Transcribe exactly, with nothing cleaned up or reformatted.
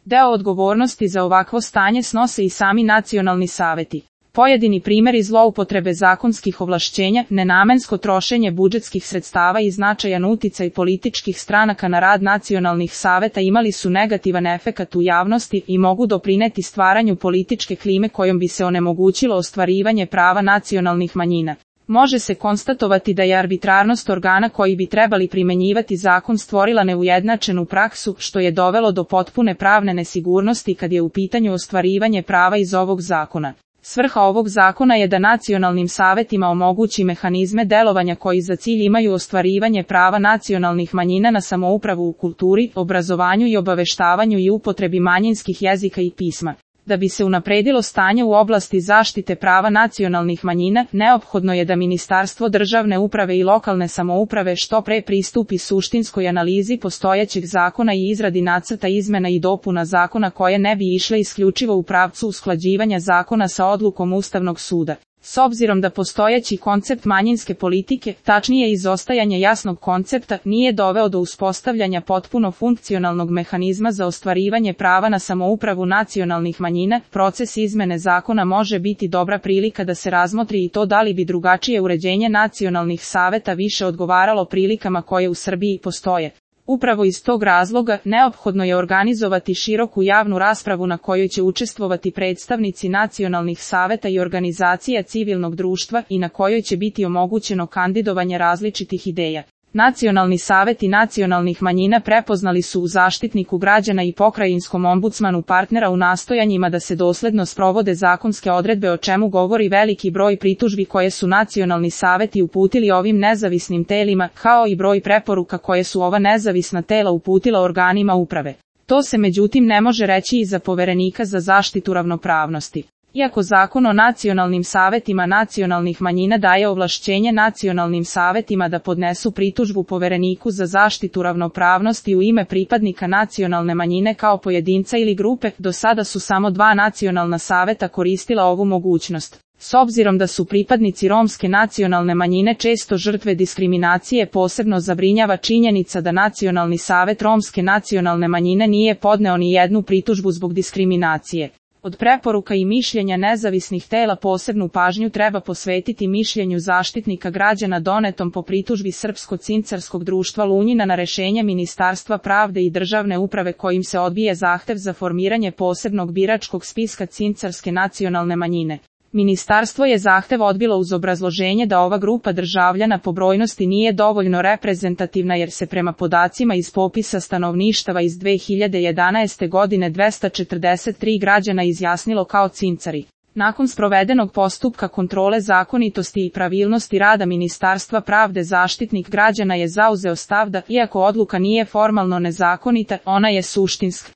Deo odgovornosti za ovakvo stanje snose i sami nacionalni saveti. Pojedini primjeri zloupotrebe zakonskih ovlašćenja, nenamensko trošenje budžetskih sredstava i značajan uticaj političkih stranaka na rad nacionalnih saveta imali su negativan efekat u javnosti i mogu doprineti stvaranju političke klime kojom bi se onemogućilo ostvarivanje prava nacionalnih manjina. Može se konstatovati da je arbitrarnost organa koji bi trebali primenjivati zakon stvorila neujednačenu praksu, što je dovelo do potpune pravne nesigurnosti kad je u pitanju ostvarivanje prava iz ovog zakona. Svrha ovog zakona je da nacionalnim savetima omogući mehanizme delovanja koji za cilj imaju ostvarivanje prava nacionalnih manjina na samoupravu u kulturi, obrazovanju i obaveštavanju i upotrebi manjinskih jezika i pisma. Da bi se unapredilo stanje u oblasti zaštite prava nacionalnih manjina, neophodno je da Ministarstvo državne uprave i lokalne samouprave što pre pristupi suštinskoj analizi postojećeg zakona i izradi nacrta izmena i dopuna zakona koje ne bi išle isključivo u pravcu usklađivanja zakona sa odlukom Ustavnog suda. S obzirom da postojeći koncept manjinske politike, tačnije izostajanje jasnog koncepta, nije doveo do uspostavljanja potpuno funkcionalnog mehanizma za ostvarivanje prava na samoupravu nacionalnih manjina, proces izmene zakona može biti dobra prilika da se razmotri i to da li bi drugačije uređenje nacionalnih saveta više odgovaralo prilikama koje u Srbiji postoje. Upravo iz tog razloga, neophodno je organizovati široku javnu raspravu na kojoj će učestvovati predstavnici nacionalnih saveta i organizacija civilnog društva i na kojoj će biti omogućeno kandidovanje različitih ideja. Nacionalni saveti nacionalnih manjina prepoznali su u Zaštitniku građana i pokrajinskom ombudsmanu partnera u nastojanjima da se dosledno sprovode zakonske odredbe, o čemu govori veliki broj pritužbi koje su nacionalni saveti uputili ovim nezavisnim telima, kao i broj preporuka koje su ova nezavisna tela uputila organima uprave. To se međutim ne može reći i za Poverenika za zaštitu ravnopravnosti. Iako Zakon o nacionalnim savetima nacionalnih manjina daje ovlašćenje nacionalnim savetima da podnesu pritužbu Povereniku za zaštitu ravnopravnosti u ime pripadnika nacionalne manjine kao pojedinca ili grupe, do sada su samo dva nacionalna saveta koristila ovu mogućnost. S obzirom da su pripadnici romske nacionalne manjine često žrtve diskriminacije, posebno zabrinjava činjenica da Nacionalni savet romske nacionalne manjine nije podneo ni jednu pritužbu zbog diskriminacije. Od preporuka i mišljenja nezavisnih tela posebnu pažnju treba posvetiti mišljenju Zaštitnika građana donetom po pritužbi Srpsko-cincarskog društva Lunjina na rešenje Ministarstva pravde i državne uprave kojim se odbije zahtev za formiranje posebnog biračkog spiska cincarske nacionalne manjine. Ministarstvo je zahtev odbilo uz obrazloženje da ova grupa državljana po brojnosti nije dovoljno reprezentativna jer se prema podacima iz popisa stanovništava iz dve hiljade jedanaeste godine dvesta četrdeset tri građana izjasnilo kao cincari. Nakon sprovedenog postupka kontrole zakonitosti i pravilnosti rada Ministarstva pravde, Zaštitnik građana je zauzeo stav da, iako odluka nije formalno nezakonita, ona je suštinska.